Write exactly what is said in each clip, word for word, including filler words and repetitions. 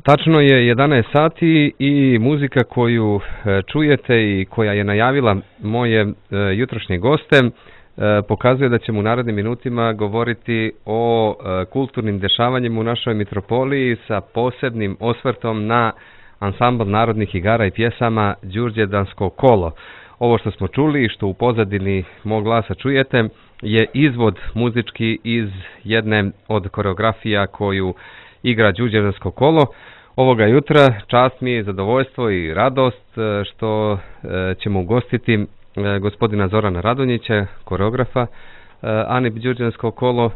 tačno je jedanaest sati i muzika koju čujete i koja je najavila moje jutrošnje goste pokazuje da ćemo u narednim minutima govoriti o kulturnim dešavanjima u našoj mitropoliji sa posebnim osvrtom na ansambl narodnih igara i pjesama Đurđevdansko kolo. Ovo što smo čuli i što u pozadini mog glasa čujete je izvod muzički iz jedne od koreografija koju igra Đurđevdansko kolo. Ovoga jutra čast mi je, zadovoljstvo i radost što ćemo ugostiti gospodina Zorana Radonjića, koreografa Anib Đurđevdansko kolo.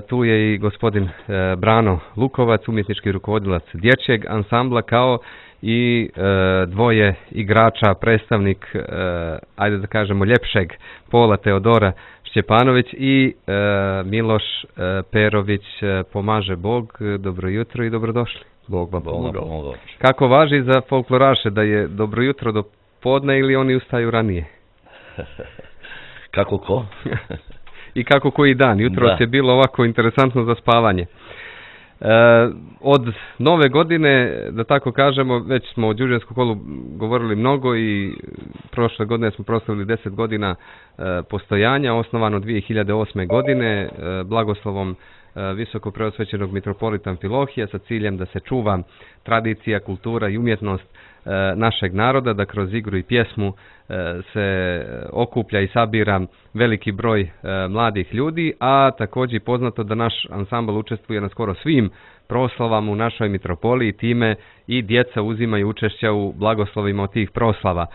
Tu je i gospodin Brano Lukovac, umjetnički rukovodilac dječjeg ansambla, kao i dvoje igrača, predstavnik, ajde da kažemo, ljepšeg pola, Teodora Šćepanović i Miloš Perović. Pomaže Bog, dobro jutro i dobrodošli. Bog vam pomogao. Kako važi za folkloraše da je dobro jutro do podne ili oni ustaju ranije? Kako ko? I kako koji dan. Jutro je bilo ovako interesantno za spavanje. E, od nove godine, da tako kažemo, već smo o Đurđevdanskom kolu govorili mnogo i prošle godine smo proslavili deset godina e, postojanja, osnovano dvije hiljade osme. godine e, blagoslovom e, visoko preosvećenog mitropolita Amfilohija sa ciljem da se čuva tradicija, kultura i umjetnost e, našeg naroda, da kroz igru i pjesmu e, se okuplja i sabira veliki broj e, mladih ljudi, a također poznato da naš ansambl učestvuje na skoro svim proslavama u našoj mitropoliji, time i djeca uzimaju učešća u blagoslovima od tih proslava.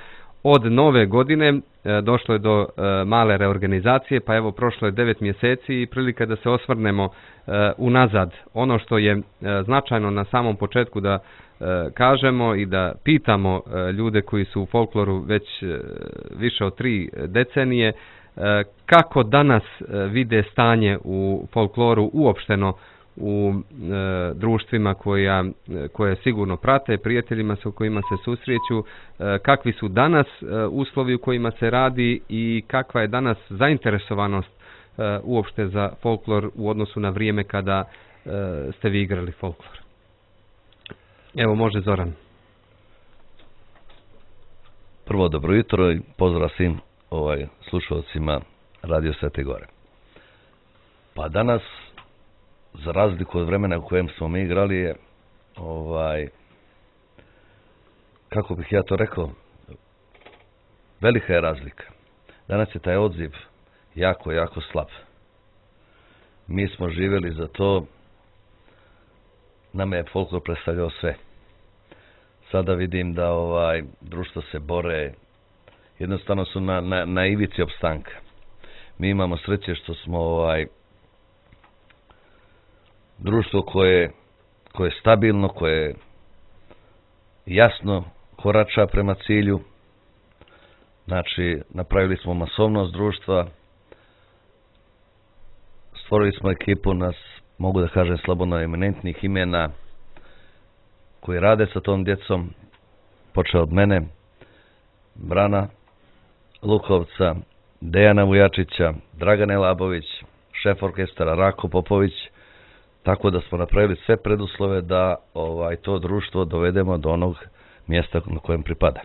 Od nove godine e, došlo je do e, male reorganizacije, pa evo prošlo je devet mjeseci i prilika da se osvrnemo e, unazad. Ono što je e, značajno na samom početku da e, kažemo i da pitamo e, ljude koji su u folkloru već e, više od tri decenije, e, kako danas e, vide stanje u folkloru uopšteno u e, društvima koja, koje sigurno prate, prijateljima sa kojima se susreću, e, kakvi su danas e, uslovi u kojima se radi i kakva je danas zainteresovanost e, uopšte za folklor u odnosu na vrijeme kada e, ste vi igrali folklor. Evo, može Zoran. Prvo, dobro jutro i pozdrav svim ovaj, slušalcima Radio Svete Gore. Pa danas, za razliku od vremena u kojem smo mi igrali, je, ovaj, kako bih ja to rekao, velika je razlika. Danas je taj odziv jako, jako slab. Mi smo živjeli za to, nama je folklor predstavljao sve. Sada vidim da ovaj društvo se bore, jednostavno su na, na, na ivici opstanka. Mi imamo sreće što smo ovaj društvo koje, koje je stabilno, koje jasno korača prema cilju. Znači, napravili smo masovnost društva, stvorili smo ekipu nas, mogu da kažem, slobodno eminentnih imena koji rade sa tom djecom, počeo od mene, Brana Lukovca, Dejana Vujačića, Dragane Labović, šef orkestara Rako Popović, tako da smo napravili sve preduslove da ovaj to društvo dovedemo do onog mjesta na kojem pripada.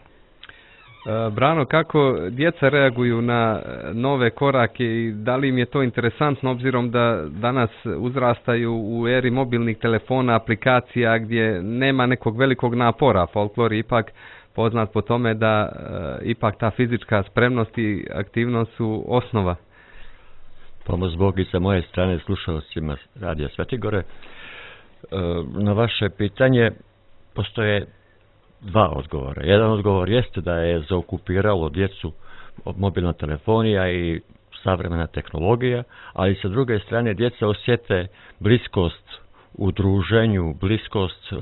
Brano, kako djeca reaguju na nove korake i da li im je to interesantno obzirom da danas uzrastaju u eri mobilnih telefona, aplikacija gdje nema nekog velikog napora? Folklor je ipak poznat po tome da e, ipak ta fizička spremnost i aktivnost su osnova. Pomoć Bog i sa moje strane slušalcima Radija Svete Gore. E, na vaše pitanje postoje dva odgovora. Jedan odgovor jeste da je zaokupiralo djecu mobilna telefonija i savremena tehnologija, ali sa druge strane djeca osjete bliskost u druženju, bliskost e,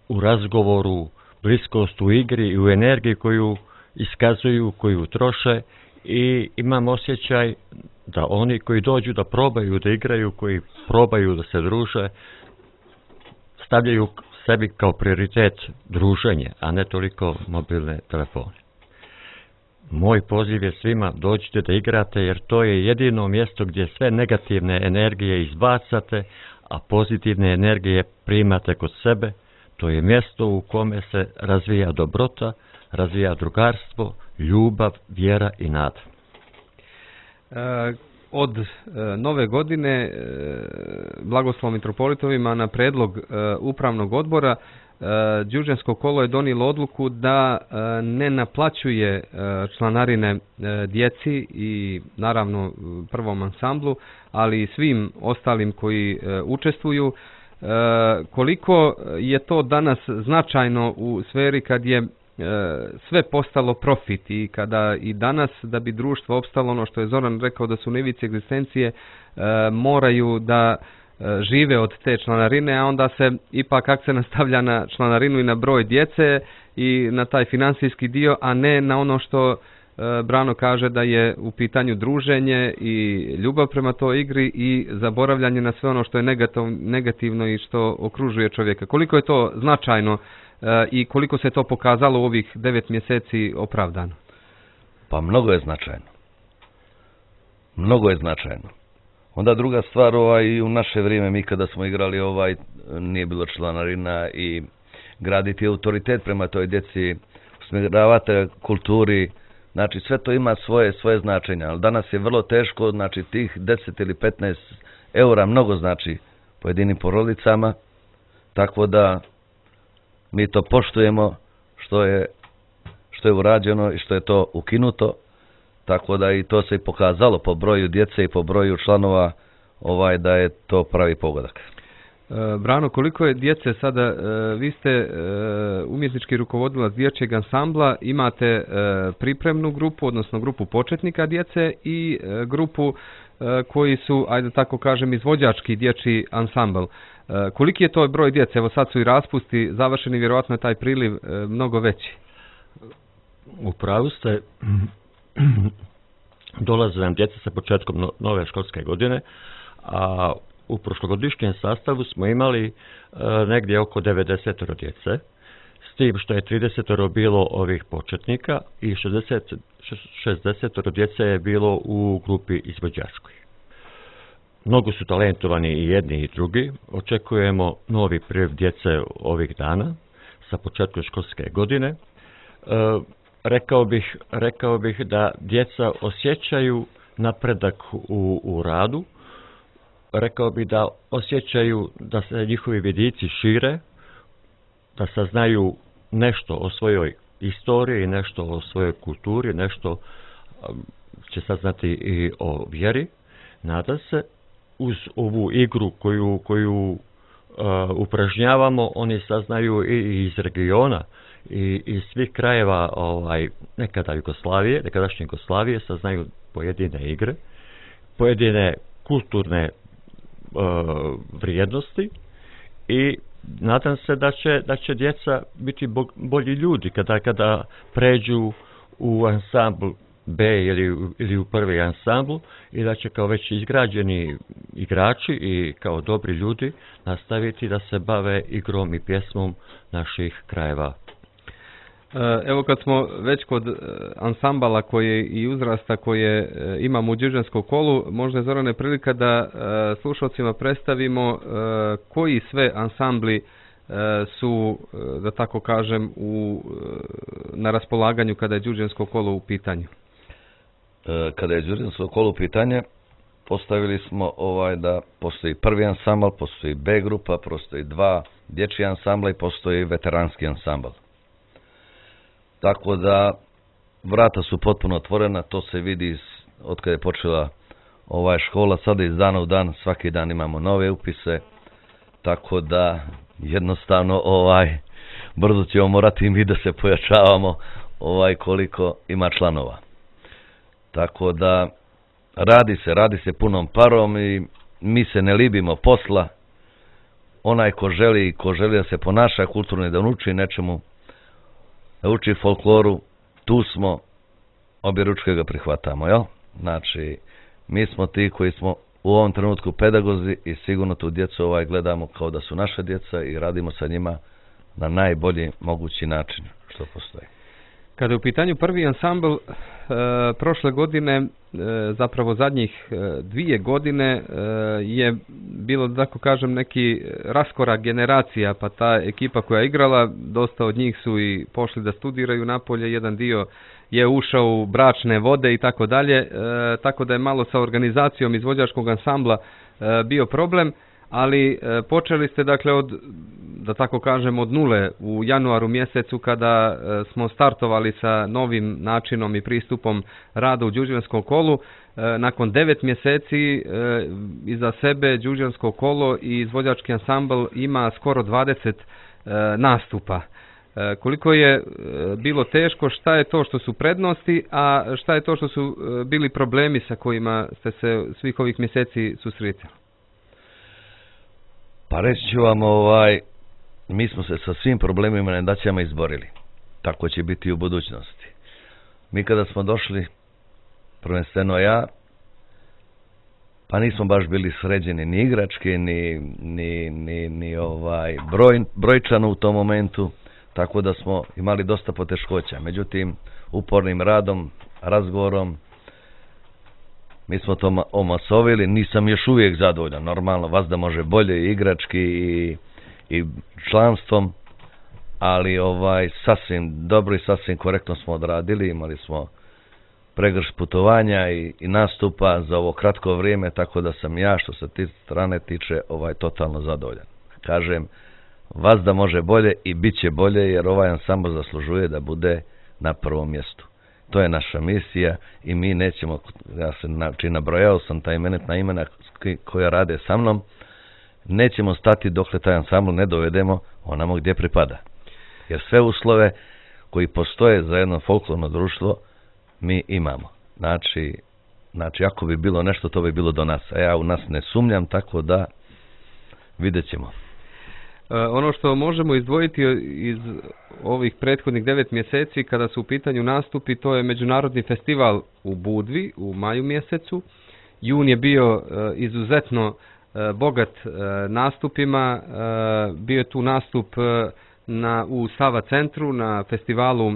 u razgovoru, bliskost u igri i u energiji koju iskazuju, koju troše, i imam osjećaj da oni koji dođu da probaju da igraju, koji probaju da se druže, stavljaju sebi kao prioritet druženje, a ne toliko mobilne telefone. Moj poziv je svima, dođite da igrate, jer to je jedino mjesto gdje sve negativne energije izbacate, a pozitivne energije primate kod sebe. To je mjesto u kome se razvija dobrota, razvija drugarstvo, ljubav, vjera i nada. E, od e, nove godine e, Blagoslovom mitropolitovima na predlog e, upravnog odbora e, Đurđensko kolo je donijelo odluku da e, ne naplaćuje e, članarine e, djeci i naravno prvom ansamblu, ali i svim ostalim koji e, učestvuju. E, koliko je to danas značajno u sferi kad je sve postalo profit i kada i danas da bi društvo opstalo, ono što je Zoran rekao da su na ivici egzistencije, moraju da žive od te članarine, a onda se ipak akcent stavlja na članarinu i na broj djece i na taj financijski dio, a ne na ono što Brano kaže da je u pitanju druženje i ljubav prema toj igri i zaboravljanje na sve ono što je negativno i što okružuje čovjeka. Koliko je to značajno i koliko se to pokazalo u ovih devet mjeseci opravdano? Pa mnogo je značajno. Mnogo je značajno. Onda druga stvar, ovaj, i u naše vrijeme, mi kada smo igrali, ovaj, nije bilo članarina i graditi autoritet prema toj djeci, usmjeravati kulturi, znači sve to ima svoje, svoje značenje, ali danas je vrlo teško, znači tih deset ili petnaest eura mnogo znači pojedinim porodicama, tako da mi to poštujemo što je, što je urađeno i što je to ukinuto, tako da i to se i pokazalo po broju djece i po broju članova ovaj da je to pravi pogodak. Brano, koliko je djece sada, vi ste umjetnički rukovodilac dječjeg ansambla, imate pripremnu grupu, odnosno grupu početnika djece i grupu koji su, ajde tako kažem, izvođački dječji ansambl. Koliki je to broj djece? Evo sad su i raspusti završeni, vjerojatno je taj priliv mnogo veći. U pravu ste, dolaze nam djeca sa početkom nove školske godine, a u prošlogodišnjem sastavu smo imali e, negdje oko devedeset djece, s tim što je trideset bilo ovih početnika i šezdeset, šezdeset djece je bilo u grupi izvođačkoj. Mnogo su talentovani i jedni i drugi. Očekujemo novi priliv djece ovih dana sa početkom školske godine. E, rekao bih, rekao bih da djeca osjećaju napredak u, u radu. Rekao bih da osjećaju da se njihovi vidici šire, da saznaju nešto o svojoj istoriji, nešto o svojoj kulturi, nešto će saznati i o vjeri. Nadam se, uz ovu igru koju, koju uh, upražnjavamo, oni saznaju i iz regiona i iz svih krajeva ovaj, nekada Jugoslavije, nekadašnje Jugoslavije, saznaju pojedine igre, pojedine kulturne uh, vrijednosti i nadam se da će, da će djeca biti bolji ljudi kada, kada pređu u ansambl B ili, ili u prvi ansambl i da će kao već izgrađeni igrači i kao dobri ljudi nastaviti da se bave igrom i pjesmom naših krajeva. Evo kad smo već kod ansambala koje i uzrasta koje imamo u Đurđenskom kolu, možda je Zorane prilika da slušalcima predstavimo koji sve ansambli su, da tako kažem, u, na raspolaganju kada je Đurđensko kolo u pitanju. Kada je Đurđensko kolo u pitanje, postavili smo ovaj da postoji prvi ansambl, postoji B grupa, postoji dva dječji ansambla i postoji veteranski ansambl. Tako da vrata su potpuno otvorena, to se vidi od kada je počela ovaj škola, sada iz dana u dan, svaki dan imamo nove upise, tako da jednostavno ovaj brzo ćemo morati mi da se pojačavamo ovaj koliko ima članova. Tako da radi se, radi se punom parom i mi se ne libimo posla. Onaj ko želi, ko želi da se ponaša kulturno i da uči nečemu, da uči folkloru, tu smo, obje ručke ga prihvatamo, jel? Znači, mi smo ti koji smo u ovom trenutku pedagozi i sigurno tu djecu ovaj gledamo kao da su naša djeca i radimo sa njima na najbolji mogući način što postoji. Kada je u pitanju prvi ansambl, e, prošle godine, e, zapravo zadnjih e, dvije godine e, je bilo, da tako kažem, neki raskorak generacija, pa ta ekipa koja je igrala, dosta od njih su i pošli da studiraju napolje, jedan dio je ušao u bračne vode i tako dalje, tako da je malo sa organizacijom izvođačkog ansambla e, bio problem. Ali e, počeli ste, dakle, od, da tako kažem, od nule u januaru mjesecu kada e, smo startovali sa novim načinom i pristupom rada u Đurđevanskom kolu. E, nakon devet mjeseci e, iza sebe Đurđevansko kolo i izvođački ansambl ima skoro dvadeset e, nastupa. E, koliko je e, bilo teško, šta je to što su prednosti, a šta je to što su e, bili problemi sa kojima ste se svih ovih mjeseci susretali? Pa reći ću vam, ovaj, mi smo se sa svim problemima i nedaćama izborili. Tako će biti i u budućnosti. Mi kada smo došli, prvenstveno ja, pa nismo baš bili sređeni ni igrački, ni, ni, ni, ni ovaj broj, brojčano u tom momentu, tako da smo imali dosta poteškoća. Međutim, upornim radom, razgovorom, mi smo to omasovili. Nisam još uvijek zadovoljan, normalno, vas da može bolje igrački i, i članstvom, ali ovaj sasvim dobro i sasvim korektno smo odradili. Imali smo pregrš putovanja i, i nastupa za ovo kratko vrijeme, tako da sam ja, što se ti strane tiče, ovaj totalno zadovoljan. Kažem, vas da može bolje i bit će bolje, jer ovaj ansambl zaslužuje da bude na prvom mjestu. To je naša misija i mi nećemo, ja se znači nabrojao sam ta imenitna imena koja rade sa mnom, nećemo stati dokle taj ansambl ne dovedemo onamo gdje pripada. Jer sve uslove koji postoje za jedno folklorno društvo mi imamo. Znači, znači ako bi bilo nešto, to bi bilo do nas. A ja u nas ne sumnjam, tako da vidjet ćemo. Ono što možemo izdvojiti iz ovih prethodnih devet mjeseci kada su u pitanju nastupi, to je međunarodni festival u Budvi u maju mjesecu. Jun je bio izuzetno bogat nastupima. Bio je tu nastup na, u Sava centru na festivalu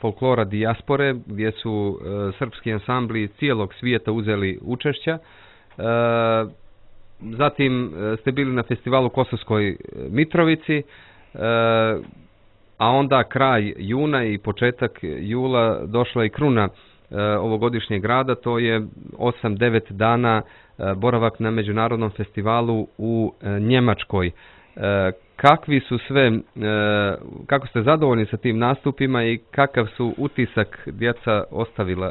folklora Dijaspore, gdje su srpski ansambli cijelog svijeta uzeli učešća. Zatim ste bili na festivalu u Kosovskoj Mitrovici, a onda kraj juna i početak jula došla i kruna ovogodišnjeg rada, to je osam devet dana boravak na međunarodnom festivalu u Njemačkoj. Kakvi su sve, kako ste zadovoljni sa tim nastupima i kakav su utisak djeca ostavila?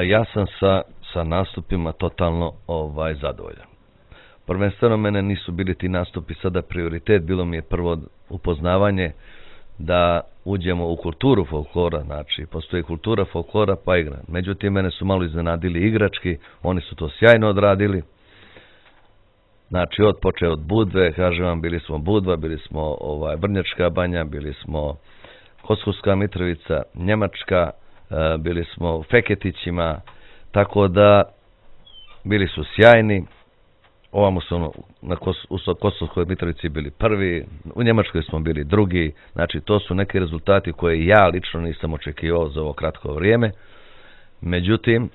Ja sam sa sa nastupima totalno ovaj zadovoljan. Prvenstveno mene nisu bili ti nastupi sada prioritet, bilo mi je prvo upoznavanje da uđemo u kulturu folklora, znači postoji kultura folklora pa igra. Međutim, mene su malo iznenadili igrački, oni su to sjajno odradili. Znači, od počeo od Budve, kažem vam, bili smo Budva, bili smo ovaj Brnjačka banja, bili smo Kosovska Mitrovica, Njemačka, bili smo u Feketićima, tako da bili su sjajni. Ovamo su na Kos, u Kosovskoj Mitrovici bili prvi, u Njemačkoj smo bili drugi. Znači, to su neki rezultati koje ja lično nisam očekivao za ovo kratko vrijeme. Međutim,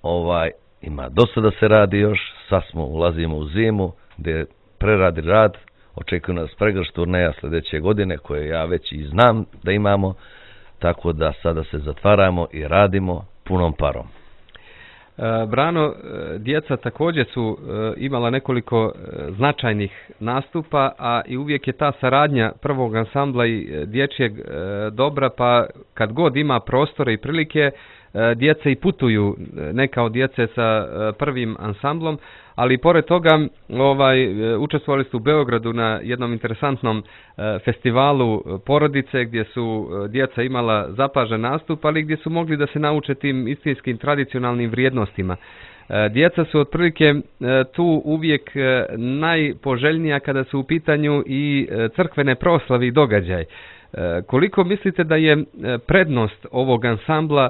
ovaj ima dosta da se radi još. Sad smo ulazimo u zimu gdje preradi rad. Očekuju nas pregršt turneja sljedeće godine koje ja već i znam da imamo. Tako da sada se zatvaramo i radimo punom parom. Brano, djeca također su imala nekoliko značajnih nastupa, a i uvijek je ta saradnja prvog ansambla i dječjeg dobra, pa kad god ima prostore i prilike, djeca i putuju, neka od djece sa prvim ansamblom, ali pored toga ovaj, učestvovali su u Beogradu na jednom interesantnom festivalu porodice gdje su djeca imala zapažen nastup, ali gdje su mogli da se nauče tim istinskim tradicionalnim vrijednostima. Djeca su otprilike tu uvijek najpoželjnija kada su u pitanju i crkvene proslave i događaj. Koliko mislite da je prednost ovog ansambla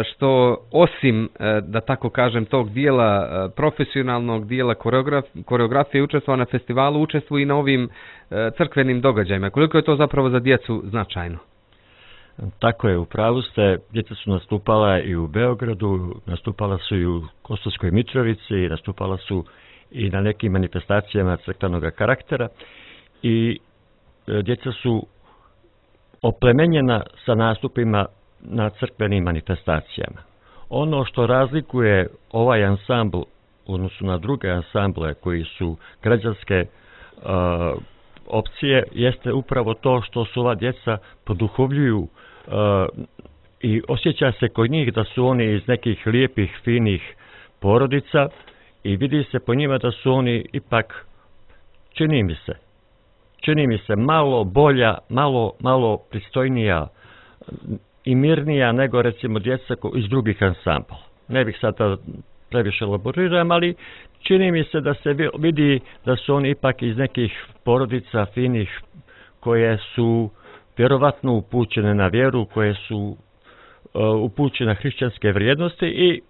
što osim, da tako kažem, tog dijela profesionalnog dijela koreograf, koreografije učestvova na festivalu, učestvuje i na ovim crkvenim događajima? Koliko je to zapravo za djecu značajno? Tako je, u pravu ste, djeca su nastupala i u Beogradu, nastupala su i u Kosovskoj Mitrovici, nastupala su i na nekim manifestacijama crkvenog karaktera i e, djeca su oplemenjena sa nastupima na crkvenim manifestacijama. Ono što razlikuje ovaj ansambl u odnosu na druge ansamble koji su građanske uh, opcije jeste upravo to što su ova djeca poduhovljuju uh, i osjeća se kod njih da su oni iz nekih lijepih, finih porodica i vidi se po njima da su oni ipak, čini mi se, čini mi se malo bolja, malo, malo pristojnija i mirnija nego recimo djeca iz drugih ansambla. Ne bih sada previše elaboriram, ali čini mi se da se vidi da su oni ipak iz nekih porodica finih koje su vjerovatno upućene na vjeru, koje su uh, upućene na hrišćanske vrijednosti i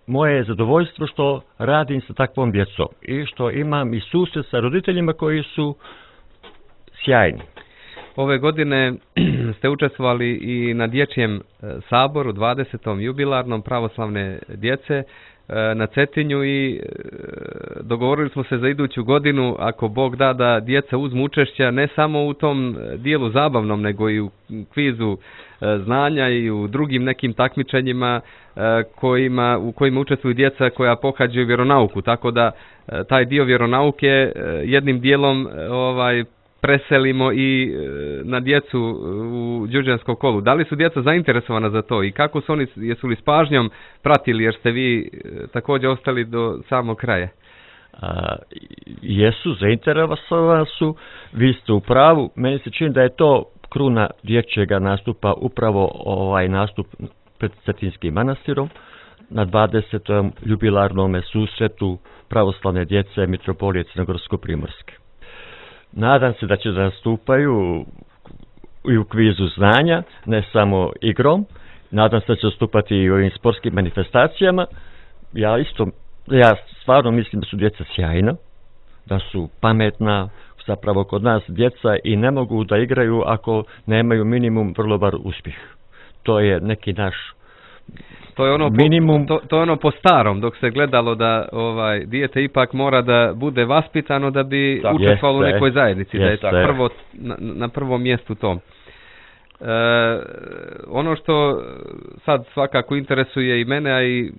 moje je zadovoljstvo što radim sa takvom djecom i što imam i susret sa roditeljima koji su sjajni. Ove godine ste učestvovali i na dječjem saboru, dvadesetom jubilarnom pravoslavne djece na Cetinju i dogovorili smo se za iduću godinu, ako Bog da, da djeca uzmu učešća ne samo u tom dijelu zabavnom, nego i u kvizu znanja i u drugim nekim takmičenjima kojima, u kojima učestvuju djeca koja pohađaju vjeronauku. Tako da taj dio vjeronauke jednim dijelom ovaj, preselimo i na djecu u đurđevanskom kolu. Da li su djeca zainteresovana za to i kako su oni, jesu li s pažnjom pratili jer ste vi također ostali do samog kraja? A, jesu, zainteresovani su, vi ste u pravu, meni se čini da je to kruna dječjega nastupa upravo ovaj nastup pred Cetinskim manastirom na dvadesetom jubilarnom susretu pravoslavne djece Mitropolije Crnogorsko-Primorske. Nadam se da će da nastupaju i u kvizu znanja, ne samo igrom. Nadam se da će nastupati i u ovim sportskim manifestacijama. Ja isto, ja stvarno mislim da su djeca sjajna, da su pametna, zapravo kod nas djeca i ne mogu da igraju ako nemaju minimum vrlo bar uspjeh. To je neki naš To je ono minimum. Po, to, to je ono po starom, dok se gledalo da ovaj dijete ipak mora da bude vaspitano da bi tako, učestvovalo u nekoj zajednici, jeste, da je prvo, na, na prvom mjestu to. E, ono što sad svakako interesuje i mene, a i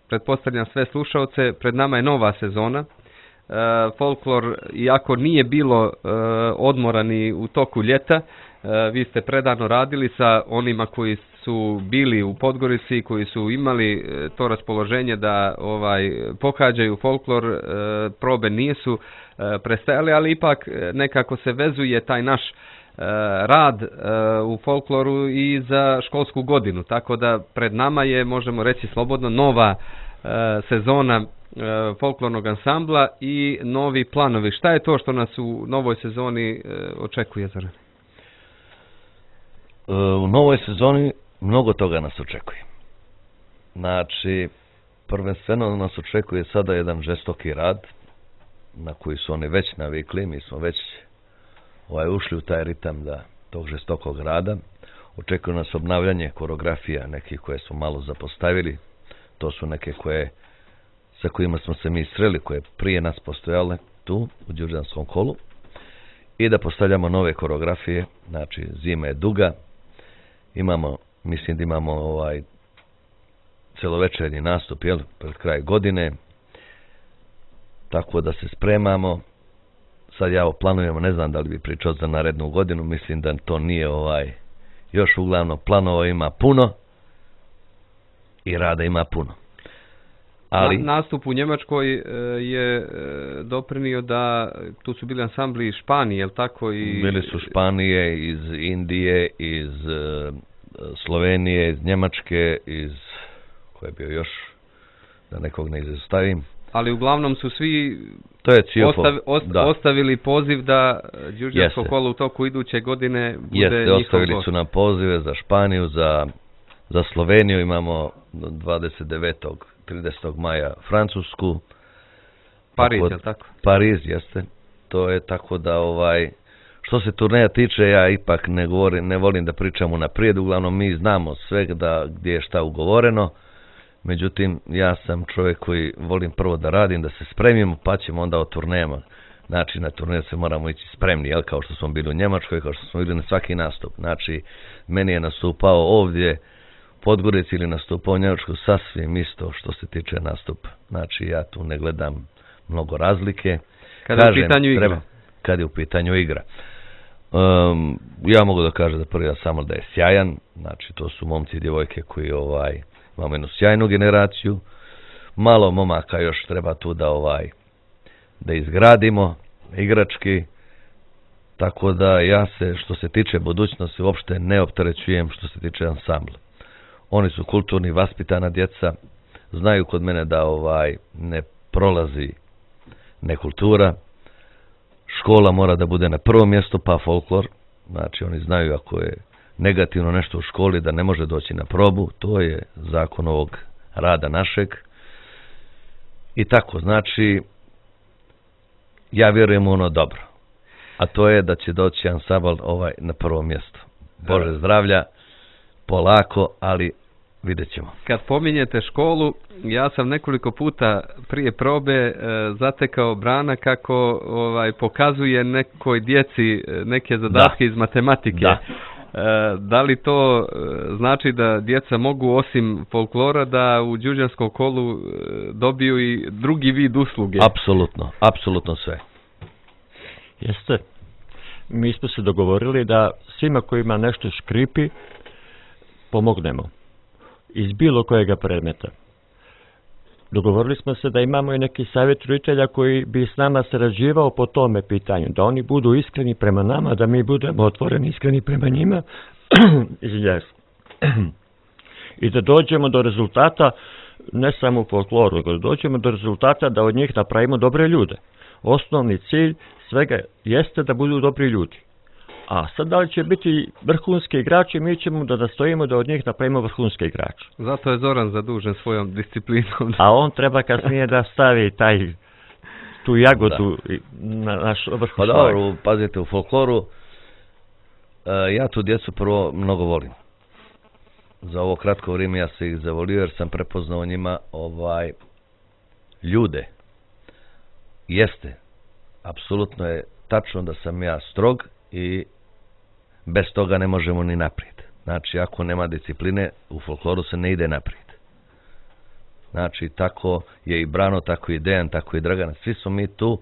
pretpostavljam sve slušalce, pred nama je nova sezona. E, folklor, iako nije bilo e, odmora ni u toku ljeta, e, vi ste predano radili sa onima koji su bili u Podgorici, koji su imali to raspoloženje da ovaj pohađaju folklor, e, probe nisu e, prestajali, ali ipak nekako se vezuje taj naš e, rad e, u folkloru i za školsku godinu, tako da pred nama je, možemo reći slobodno, nova e, sezona e, folklornog ansambla i novi planovi. Šta je to što nas u novoj sezoni e, očekuje, Zoran? U novoj sezoni mnogo toga nas očekuje. Znači, prvenstveno nas očekuje sada jedan žestoki rad na koji su oni već navikli. Mi smo već ovaj, ušli u taj ritam da, tog žestokog rada. Očekuje nas obnavljanje koreografija nekih koje smo malo zapostavili. To su neke koje, sa kojima smo se mi sreli, koje prije nas postojale tu u đurđevanskom kolu. I da postavljamo nove koreografije. Znači, zima je duga. Imamo Mislim da imamo ovaj celovečernji nastup, jel, pred kraj godine, tako da se spremamo. Sad ja planujemo, ne znam da li bi pričao za narednu godinu, mislim da to nije ovaj, još uglavnom planova ima puno i rada ima puno. Ali Na, nastup u Njemačkoj e, je e, doprinio da tu su bili ansambli iz Španije, jel tako? I bili su Španije, iz Indije, iz e, Slovenije, iz Njemačke, iz koje je bio još, da nekog ne izostavim. Ali uglavnom su svi to je ostav, ost, ostavili poziv da đurđevansko kolo u toku iduće godine bude Jeste, njihov ostavili gost. su nam pozive za Španiju, za, za Sloveniju, imamo dvadeset devetog tridesetog maja Francusku. Pariz, tako, je tako? Pariz, jeste. To je tako da ovaj Što se turneja tiče, ja ipak ne govorim, ne volim da pričam unaprijed, uglavnom mi znamo sve da gdje je šta ugovoreno. Međutim, ja sam čovjek koji volim prvo da radim, da se spremimo, pa ćemo onda o turnejama. Znači, na turneju se moramo ići spremni, jel, kao što smo bili u Njemačkoj, kao što smo bili na svaki nastup. Znači, meni je nastupao ovdje Podgorici ili nastupao u Njemačkoj sasvim isto što se tiče nastupa. Znači, ja tu ne gledam mnogo razlike. Kada je u pitanju igra. Treba, kad je u pitanju igra. Um, ja mogu da kažem da prvi samo da je sjajan. Znači, to su momci i djevojke koji ovaj, imamo jednu sjajnu generaciju. Malo momaka još treba tu da ovaj da izgradimo igrački, tako da ja se, što se tiče budućnosti, uopšte ne opterećujem što se tiče ansambla. Oni su kulturni, vaspitana djeca, znaju kod mene da ovaj ne prolazi nekultura, škola mora da bude na prvom mjestu, pa folklor, znači oni znaju ako je negativno nešto u školi da ne može doći na probu, to je zakon ovog rada našeg. I tako, znači, ja vjerujem u ono dobro, a to je da će doći ansambl ovaj na prvo mjesto. Bože zdravlja, polako, ali vidjet ćemo. Kad pominjete školu, ja sam nekoliko puta prije probe e, zatekao Brana kako ovaj pokazuje nekoj djeci neke zadatke da. iz matematike. Da. E, da li to znači da djeca mogu osim folklora da u đurđanskom kolu dobiju i drugi vid usluge? Apsolutno, apsolutno sve. Jeste. Mi smo se dogovorili da svima kojima nešto škripi pomognemo. Iz bilo kojega predmeta. Dogovorili smo se da imamo i neki savjet roditelja koji bi s nama sarađivao po tome pitanju. Da oni budu iskreni prema nama, da mi budemo otvoreni iskreni prema njima. I da dođemo do rezultata, ne samo u folkloru, nego da dođemo do rezultata da od njih napravimo dobre ljude. Osnovni cilj svega jeste da budu dobri ljudi. A sad da li će biti vrhunski igrači, mi ćemo da nastojimo da od njih napravimo vrhunske igrače. Zato je Zoran zadužen svojom disciplinom. A on treba kasnije da stavi taj, tu jagodu da. na naš vrh. Pa dobro, pazite, u folkloru uh, ja tu djecu prvo mnogo volim. Za ovo kratko vrijeme ja se ih zavolio jer sam prepoznao njima ovaj ljude. Jeste, apsolutno je tačno da sam ja strog i bez toga ne možemo ni naprijed. Znači, ako nema discipline, u folkloru se ne ide naprijed. Znači, tako je i Brano, tako i Dejan, tako i Dragan. Svi smo mi tu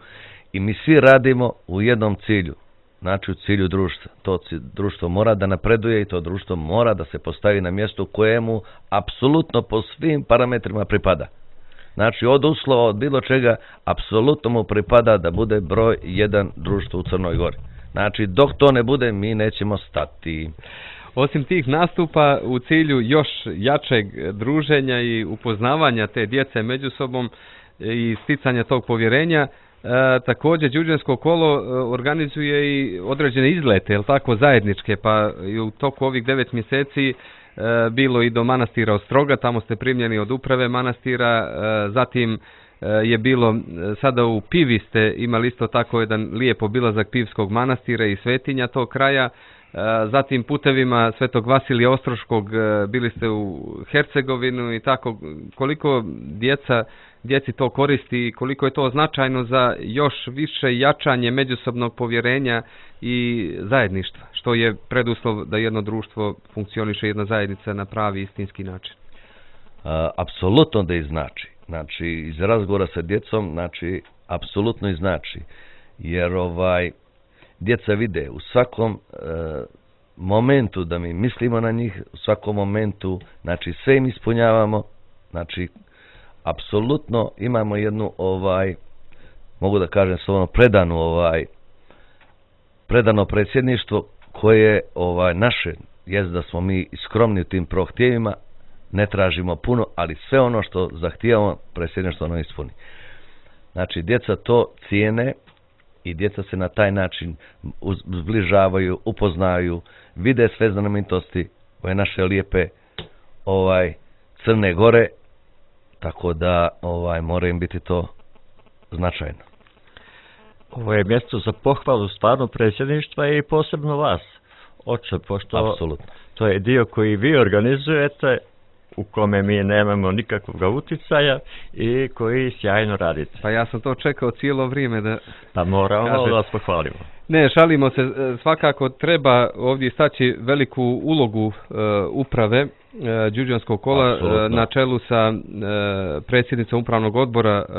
i mi svi radimo u jednom cilju. Znači, u cilju društva. To društvo mora da napreduje i to društvo mora da se postavi na mjestu kojemu apsolutno po svim parametrima pripada. Znači, od uslova, od bilo čega, apsolutno mu pripada da bude broj jedan društvo u Crnoj Gori. Znači, dok to ne bude, mi nećemo stati. Osim tih nastupa, u cilju još jačeg druženja i upoznavanja te djece među sobom i sticanja tog povjerenja, e, također đurđansko kolo organizuje i određene izlete, jel tako, zajedničke, pa i u toku ovih devet mjeseci e, bilo i do manastira Ostroga, tamo ste primljeni od uprave manastira, e, zatim je bilo sada u Pivi ste imali isto tako jedan lijep obilazak Pivskog manastira i svetinja tog kraja, zatim putevima Svetog Vasilija Ostroškog bili ste u Hercegovinu i tako. Koliko djeca, djeci to koristi i koliko je to značajno za još više jačanje međusobnog povjerenja i zajedništva, što je preduslov da jedno društvo funkcioniše, jedna zajednica na pravi istinski način? A, apsolutno da i znači. Znači, iz razgovora sa djecom, znači, apsolutno i znači. Jer ovaj, djeca vide u svakom e, momentu da mi mislimo na njih, u svakom momentu, znači, sve im ispunjavamo, znači, apsolutno imamo jednu, ovaj, mogu da kažem, slovno predanu, ovaj, predano predsjedništvo koje, ovaj, naše, jest da smo mi skromni u tim prohtjevima, ne tražimo puno, ali sve ono što zahtijevamo, predsjedništvo ono ispuni. Znači, djeca to cijene i djeca se na taj način zbližavaju, upoznaju, vide sve znamenitosti ove naše lijepe ovaj, Crne Gore, tako da ovaj, mora im biti to značajno. Ovo je mjesto za pohvalu stvarno predsjedništva i posebno vas, oče, pošto Apsolutno. To je dio koji vi organizujete, u kome mi nemamo nikakvog utjecaja i koji sjajno radite. Pa ja sam to čekao cijelo vrijeme da... Pa moramo kaže, da vas pohvalimo. Ne, šalimo se, svakako treba ovdje staći veliku ulogu uh, uprave uh, Đurđanskog kola uh, na čelu sa uh, predsjednicom upravnog odbora uh,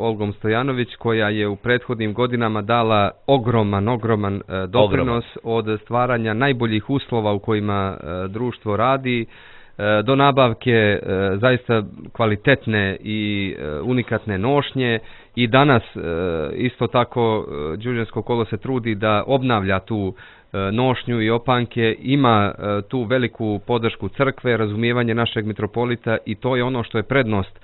Olgom Stojanović, koja je u prethodnim godinama dala ogroman, ogroman uh, doprinos ogroman. Od stvaranja najboljih uslova u kojima uh, društvo radi, do nabavke zaista kvalitetne i unikatne nošnje i danas isto tako Đurđansko kolo se trudi da obnavlja tu nošnju i opanke, ima tu veliku podršku crkve, razumijevanje našeg mitropolita i to je ono što je prednost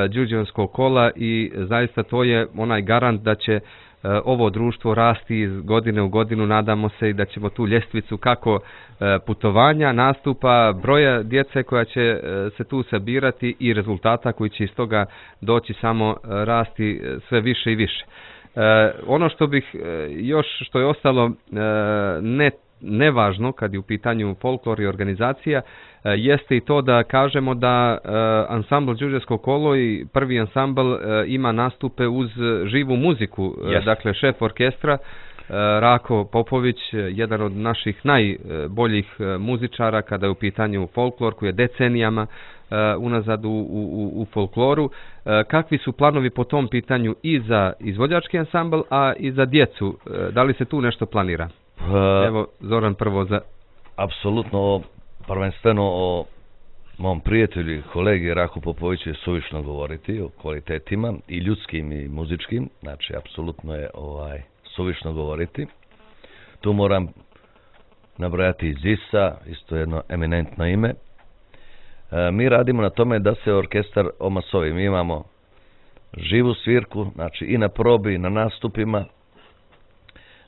Đurđanskog kola i zaista to je onaj garant da će ovo društvo rasti iz godine u godinu, nadamo se i da ćemo tu ljestvicu kako putovanja, nastupa, broja djece koja će se tu sabirati i rezultata koji će iz toga doći samo rasti sve više i više. Ono što bih još, što je ostalo ne nevažno kad je u pitanju folklor i organizacija, jeste i to da kažemo da ansambl Đurđevsko kolo i prvi ansambl ima nastupe uz živu muziku. Yes. Dakle, šef orkestra Rako Popović, jedan od naših najboljih muzičara kada je u pitanju folklor, koji je decenijama unazad u, u, u folkloru. Kakvi su planovi po tom pitanju i za izvođački ansambl, a i za djecu? Da li se tu nešto planira? Evo, Zoran prvo za... Apsolutno, prvenstveno o mom prijatelju i kolegi Raku Popoviću je suvišno govoriti o kvalitetima i ljudskim i muzičkim, znači apsolutno je ovaj suvišno govoriti. Tu moram nabrojati i Zisa, isto jedno eminentno ime. E, mi radimo na tome da se orkestar omasovi. Mi imamo živu svirku, znači i na probi i na nastupima.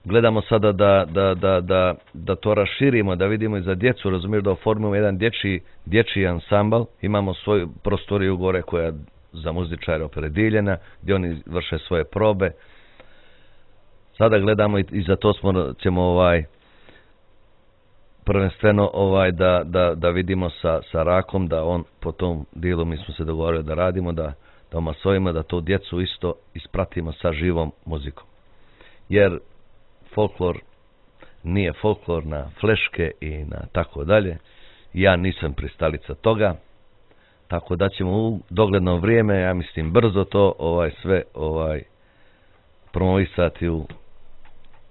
Gledamo sada da, da, da, da, da to raširimo, da vidimo i za djecu, razumiješ, da oformimo jedan dječji, dječji ansambl. Imamo svoju prostoriju gore koja je za muzičare opredijeljena, gdje oni vrše svoje probe. Sada gledamo i, i za to smo, ćemo ovaj, prvenstveno ovaj, da, da, da vidimo sa, sa Rakom, da on po tom dijelu mi smo se dogovorili da radimo, da, da omasovimo, da to djecu isto ispratimo sa živom muzikom. Jer folklor nije folklor na fleške i na tako dalje. Ja nisam pristalica toga, tako da ćemo u dogledno vrijeme, ja mislim brzo to ovaj sve ovaj promovisati u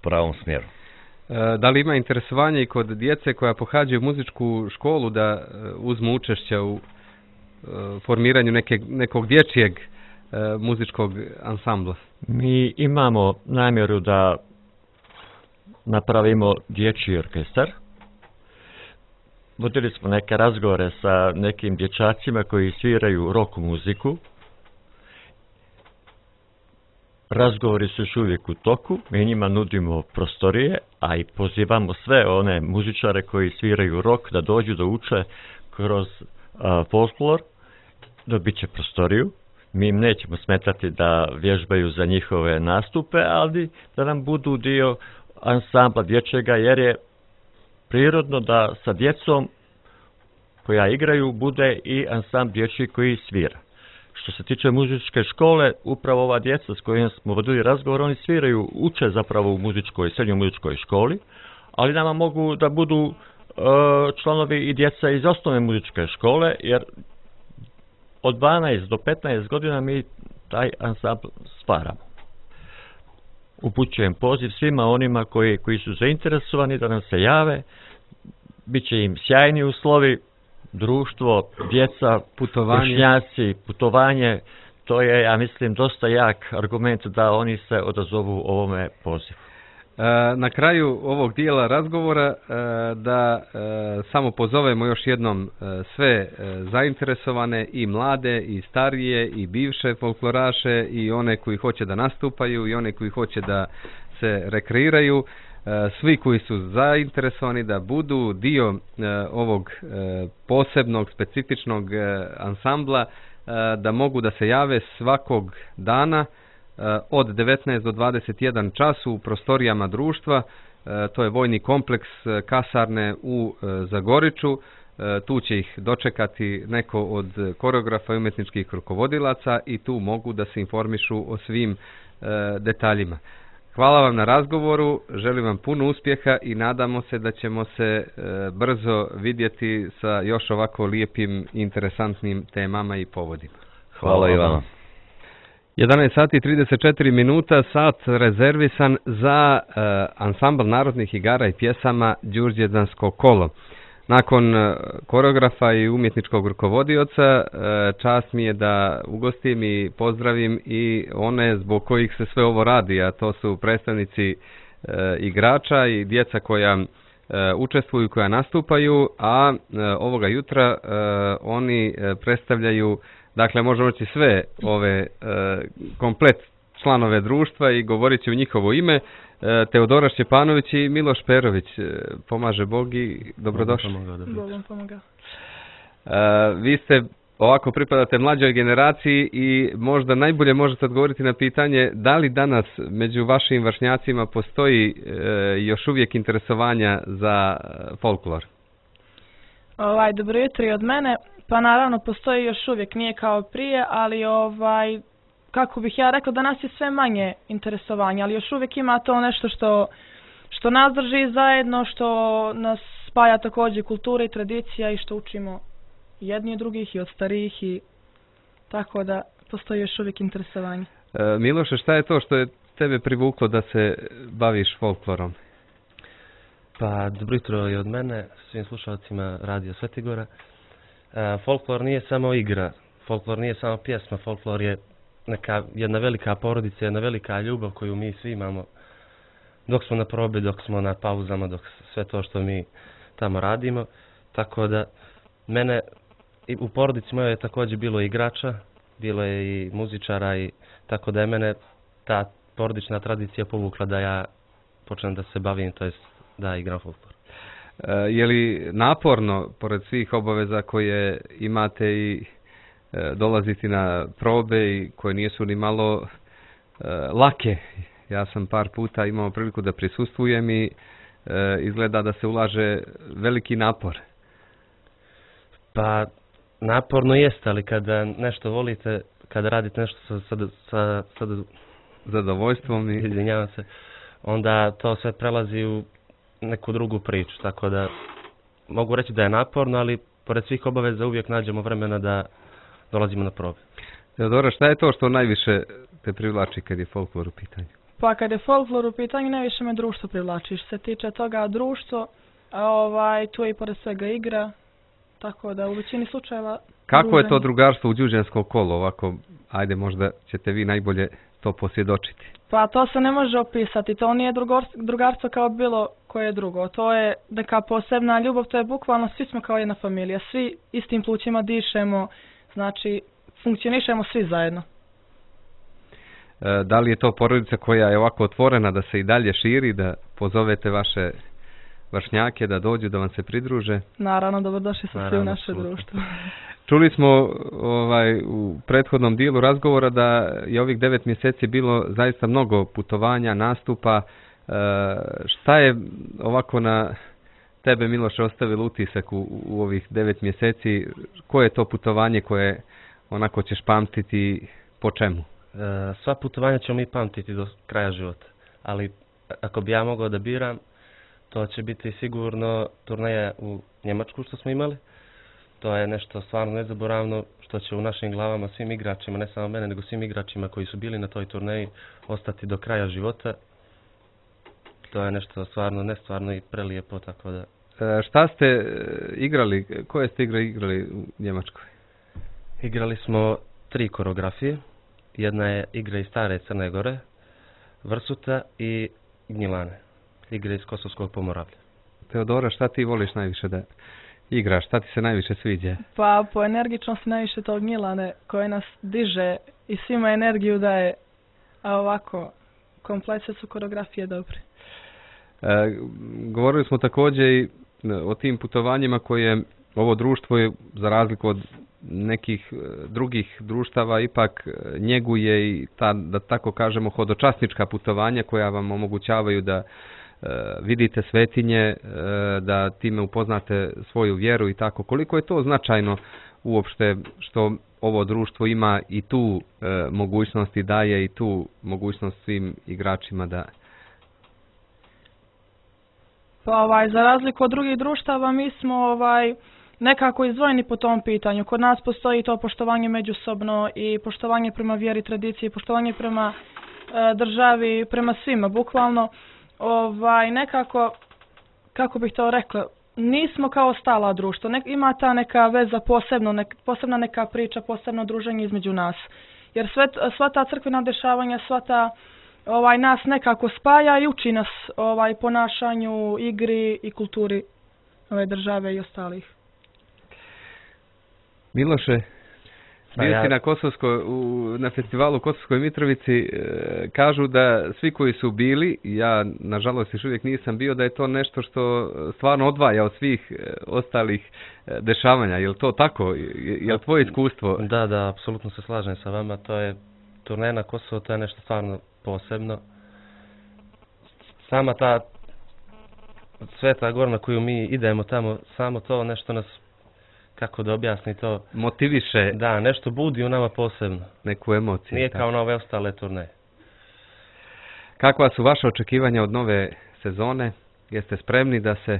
pravom smjeru. E, da li ima interesovanje i kod djece koja pohađaju muzičku školu da uzmu učešća u e, formiranju neke, nekog dječjeg e, muzičkog ansambla? Mi imamo namjeru da napravimo dječji orkestar. Vodili smo neke razgovore sa nekim dječacima koji sviraju rock muziku. Razgovori su još uvijek u toku. Mi njima nudimo prostorije, a i pozivamo sve one muzičare koji sviraju rock da dođu da uče kroz a, folklor. Dobit će prostoriju. Mi im nećemo smetati da vježbaju za njihove nastupe, ali da nam budu dio ansambla dječjega, jer je prirodno da sa djecom koja igraju bude i ansambl dječji koji svira. Što se tiče muzičke škole, upravo ova djeca s kojima smo vodili razgovor, oni sviraju, uče zapravo u muzičkoj, srednjoj muzičkoj školi, ali nama mogu da budu e, članovi i djeca iz osnovne muzičke škole, jer od dvanaest do petnaest godina mi taj ansambl stvaramo. Upućujem poziv svima onima koji, koji su zainteresovani da nam se jave. Biće im sjajni uslovi, društvo, djeca, putovanje. Vršnjaci, putovanje. To je, ja mislim, dosta jak argument da oni se odazovu ovome pozivu. Na kraju ovog dijela razgovora da samo pozovemo još jednom sve zainteresovane, i mlade i starije i bivše folkloraše i one koji hoće da nastupaju i one koji hoće da se rekreiraju, svi koji su zainteresovani da budu dio ovog posebnog, specifičnog ansambla, da mogu da se jave svakog dana od devetnaest do dvadeset jedan čas u prostorijama društva. To je vojni kompleks kasarne u Zagoriču. Tu će ih dočekati neko od koreografa i umjetničkih rukovodilaca i tu mogu da se informišu o svim detaljima. Hvala vam na razgovoru, želim vam puno uspjeha i nadamo se da ćemo se brzo vidjeti sa još ovako lijepim i interesantnim temama i povodima. Hvala i vama. jedanaest sati i trideset četiri minuta, sat rezervisan za uh, ansambl narodnih igara i pjesama Đurđevdansko kolo. Nakon uh, koreografa i umjetničkog rukovodioca, uh, čast mi je da ugostim i pozdravim i one zbog kojih se sve ovo radi, a to su predstavnici uh, igrača i djeca koja uh, učestvuju, koja nastupaju, a uh, ovoga jutra uh, oni uh, predstavljaju, dakle, možemo reći sve ove e, komplet članove društva i govorit će u njihovo ime. E, Teodora Šćepanović i Miloš Perović. E, pomaže Bog i dobrodošli. Bog vam pomaga. E, vi ste, ovako pripadate mlađoj generaciji i možda najbolje možete odgovoriti na pitanje da li danas među vašim vršnjacima postoji e, još uvijek interesovanja za folklor? Ovaj, dobro jutro i od mene. Pa naravno postoji još uvijek, nije kao prije, ali ovaj, kako bih ja rekla, danas je sve manje interesovanja, ali još uvijek ima to nešto što, što nas drži zajedno, što nas spaja također kultura i tradicija i što učimo jedni od drugih i od starijih i tako da postoji još uvijek interesovanje. E, Miloše, šta je to što je tebe privuklo da se baviš folklorom? Pa dobro jutro i od mene, svim slušalcima Radio Svetigora. Uh, folklor nije samo igra, folklor nije samo pjesma, folklor je neka, jedna velika porodica, jedna velika ljubav koju mi svi imamo dok smo na probi, dok smo na pauzama, dok sve to što mi tamo radimo. Tako da mene i u porodici moje je također bilo igrača, bilo je i muzičara i tako da je mene ta porodična tradicija povukla da ja počnem da se bavim, to jest da igram folklor. Je li naporno, pored svih obaveza koje imate i e, dolaziti na probe i koje nisu ni malo e, lake? Ja sam par puta imao priliku da prisustvujem i e, izgleda da se ulaže veliki napor. Pa naporno jeste, ali kada nešto volite, kada radite nešto sa, sa, sa, sa zadovoljstvom i izvinjavam se, onda to sve prelazi u neku drugu priču, tako da mogu reći da je naporno, ali pored svih obaveza uvijek nađemo vremena da dolazimo na probe. Teodora, šta je to što najviše te privlači kad je folklor u pitanju? Pa kad je folklor u pitanju, najviše me društvo privlači. Što se tiče toga društvo, ovaj, tu je i pored svega igra, tako da u većini slučajeva... Kako druženje. je to drugarstvo u Đurđevskom kolu? Ovako, ajde, možda ćete vi najbolje to posvjedočiti. Pa to se ne može opisati, to nije drugarstvo kao bilo koje drugo. To je neka posebna ljubav, to je bukvalno svi smo kao jedna familija, svi istim plućima dišemo, znači funkcionišemo svi zajedno. E, da li je to porodica koja je ovako otvorena da se i dalje širi, da pozovete vaše vršnjake da dođu, da vam se pridruže? Naravno, dobrodošli su svi u naše društvo. Čuli smo ovaj, u prethodnom dijelu razgovora da je ovih devet mjeseci bilo zaista mnogo putovanja, nastupa. E, šta je ovako na tebe, Miloše, ostavilo utisak u, u ovih devet mjeseci? Koje je to putovanje koje onako ćeš pamtiti, po čemu? E, sva putovanja ćemo mi pamtiti do kraja života, ali ako bi ja mogao da biram, to će biti sigurno turneja u Njemačku što smo imali. To je nešto stvarno nezaboravno što će u našim glavama svim igračima, ne samo mene, nego svim igračima koji su bili na toj turneji ostati do kraja života. To je nešto stvarno nestvarno i prelijepo, tako da... E, šta ste igrali, koje ste igre igrali u Njemačkoj? Igrali smo tri koreografije. Jedna je igra iz stare Crne Gore, Vrsuta i Gnjilane. Igre iz Kosovskog Pomoravlja. Teodora, šta ti voliš najviše da igraš? Šta ti se najviše sviđa? Pa po energičnosti najviše to Gnjilane koje nas diže i svima energiju daje, a ovako komplet sve su koreografije dobre. E, govorili smo također i o tim putovanjima koje ovo društvo je, za razliku od nekih drugih društava, ipak njeguje i ta, da tako kažemo, hodočasnička putovanja koja vam omogućavaju da vidite svetinje, da time upoznate svoju vjeru i tako. Koliko je to značajno uopšte što ovo društvo ima i tu mogućnost i daje i tu mogućnost svim igračima da... Pa ovaj, za razliku od drugih društava mi smo ovaj, nekako izdvojeni po tom pitanju. Kod nas postoji to poštovanje međusobno i poštovanje prema vjeri, tradiciji, poštovanje prema e, državi, prema svima, bukvalno. Ovaj, nekako, kako bih to rekla, nismo kao stala društvo. Nek, ima ta neka veza posebno, nek, posebna neka priča, posebno druženje između nas. Jer sve, sva ta crkvena dešavanja, sva ta ovaj, nas nekako spaja i uči nas ovaj, ponašanju, igri i kulturi ove države i ostalih. Miloše, bio ja... si na, Kosovskoj, u, na festivalu u Kosovskoj Mitrovici, e, kažu da svi koji su bili, ja nažalost još uvijek nisam bio, da je to nešto što stvarno odvaja od svih e, ostalih e, dešavanja. Je li to tako? Je, je li tvoje iskustvo? Da, da, apsolutno se slažem sa vama. To je turneja na Kosovo, to je nešto stvarno posebno. Sama ta Sveta Gora na koju mi idemo tamo, samo to nešto nas, kako da objasni to, motiviše. Da, nešto budi u nama posebno. Neku emociju. Nije tako. kao na ove ostale turneje. Kakva su vaše očekivanja od nove sezone? Jeste spremni da se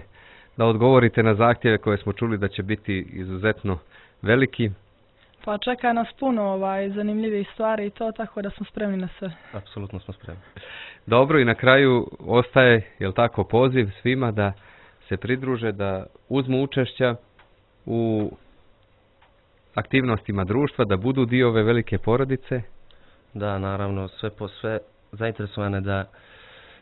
da odgovorite na zahtjeve koje smo čuli da će biti izuzetno veliki? Pa čeka nas puno ovaj, zanimljivih stvari i to, tako da smo spremni na sve. Apsolutno smo spremni. Dobro, i na kraju ostaje, jel tako, poziv svima da se pridruže, da uzmu učešća u aktivnostima društva, da budu dio ove velike porodice. Da, naravno, sve po sve zainteresovane da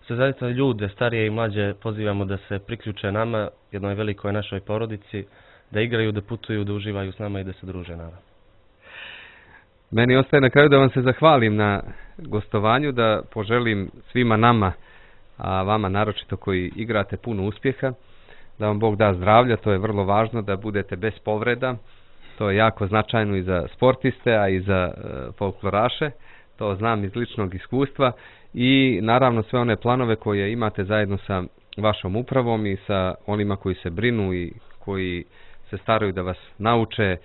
se zaista ljude, starije i mlađe, pozivamo da se priključe nama, jednoj velikoj našoj porodici, da igraju, da putuju, da uživaju s nama i da se druže, naravno. Meni ostaje na kraju da vam se zahvalim na gostovanju, da poželim svima nama, a vama naročito koji igrate, puno uspjeha, da vam Bog da zdravlja, to je vrlo važno, da budete bez povreda, to je jako značajno i za sportiste, a i za e, folkloraše, to znam iz ličnog iskustva, i naravno sve one planove koje imate zajedno sa vašom upravom i sa onima koji se brinu i koji se staraju da vas nauče e,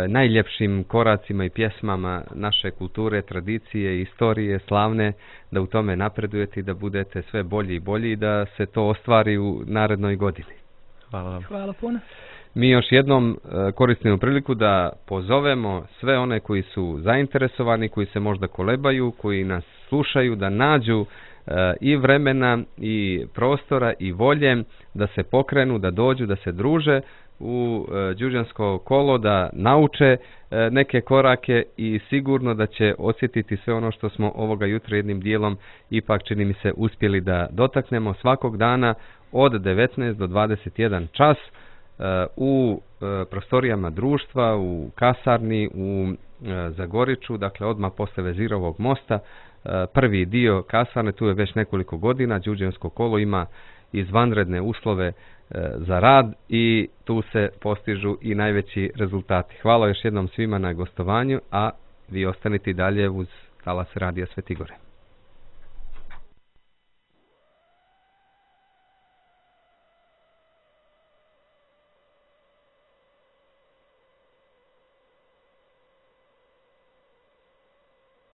najljepšim koracima i pjesmama naše kulture, tradicije, istorije, slavne, da u tome napredujete i da budete sve bolji i bolji i da se to ostvari u narednoj godini. Hvala vam. Hvala puno. Mi još jednom e, koristimo priliku da pozovemo sve one koji su zainteresovani, koji se možda kolebaju, koji nas slušaju, da nađu e, i vremena i prostora i volje da se pokrenu, da dođu, da se druže u e, đuđansko kolo, da nauče e, neke korake i sigurno da će osjetiti sve ono što smo ovoga jutra jednim dijelom ipak, čini mi se, uspjeli da dotaknemo svakog dana od devetnaest do dvadeset jedan čas u prostorijama društva, u kasarni, u Zagoriću, dakle odmah posle Vezirovog mosta. Prvi dio kasarne, tu je već nekoliko godina, đuđansko kolo ima izvanredne uslove za rad i tu se postižu i najveći rezultati. Hvala još jednom svima na gostovanju, a vi ostanite dalje uz talas Radija Svetigore.